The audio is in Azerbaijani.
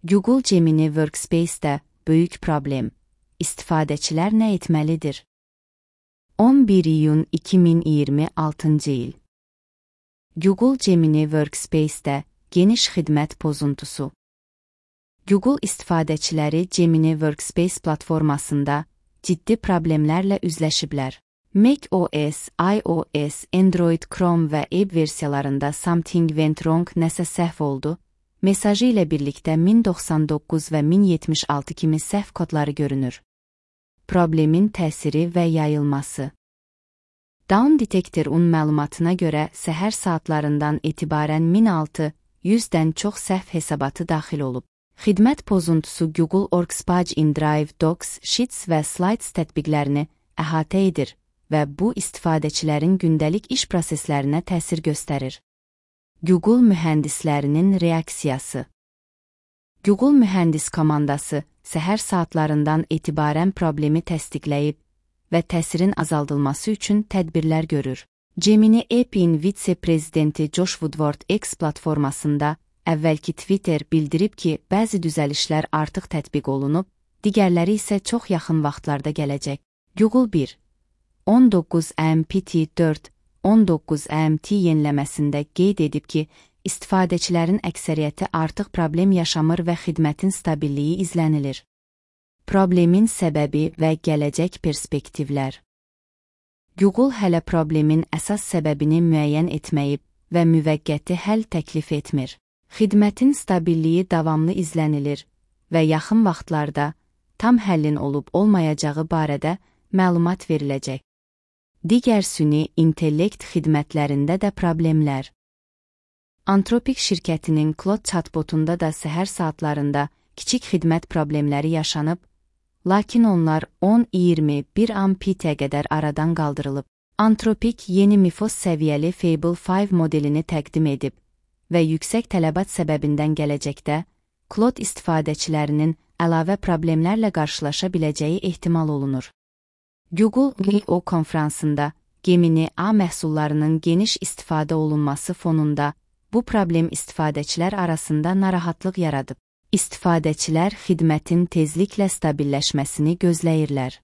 Google Gemini Workspace'də böyük problem. İstifadəçilər nə etməlidir? 11 iyun 2026 il. Google Gemini Workspace'də geniş xidmət pozuntusu. Google istifadəçiləri Gemini Workspace platformasında ciddi problemlərlə üzləşiblər. macOS, iOS, Android, Chrome və Edge versiyalarında "Something went wrong", nəsə səhv oldu mesajı ilə birlikdə 1099 və 1076 kimi səhv kodları görünür. Problemin təsiri və yayılması. Down Detector-un məlumatına görə səhər saatlarından etibarən 1600-dən çox səhv hesabatı daxil olub. Xidmət pozuntusu Google Workspace InDrive, Docs, Sheets və Slides tətbiqlərini əhatə edir və bu istifadəçilərin gündəlik iş proseslərinə təsir göstərir. Google mühəndislərinin reaksiyası. Google mühəndis komandası səhər saatlarından etibarən problemi təsdiqləyib və təsirin azaldılması üçün tədbirlər görür. Gemini App'in vitse-prezidenti Josh Woodward X platformasında əvvəlki Twitter bildirib ki, bəzi düzəlişlər artıq tətbiq olunub, digərləri isə çox yaxın vaxtlarda gələcək. Google 1. 19 AMPT 4.19 AMT yeniləməsində qeyd edib ki, istifadəçilərin əksəriyyəti artıq problem yaşamır və xidmətin stabilliyi izlənilir. Problemin səbəbi və gələcək perspektivlər. Google hələ problemin əsas səbəbini müəyyən etməyib və müvəqqəti həll təklif etmir. Xidmətin stabilliyi davamlı izlənilir və yaxın vaxtlarda tam həllin olub-olmayacağı barədə məlumat veriləcək. Digər süni intellekt xidmətlərində də problemlər. Anthropic şirkətinin Claude chatbotunda da səhər saatlarında kiçik xidmət problemləri yaşanıb, lakin onlar 10-21 AMPT-ə qədər aradan qaldırılıb. Anthropic yeni MIFOS səviyyəli Fable 5 modelini təqdim edib və yüksək tələbat səbəbindən gələcəkdə Claude istifadəçilərinin əlavə problemlərlə qarşılaşa biləcəyi ehtimal olunur. Google I/O konfransında Gemini A məhsullarının geniş istifadə olunması fonunda bu problem istifadəçilər arasında narahatlıq yaradıb. İstifadəçilər xidmətin tezliklə stabilləşməsini gözləyirlər.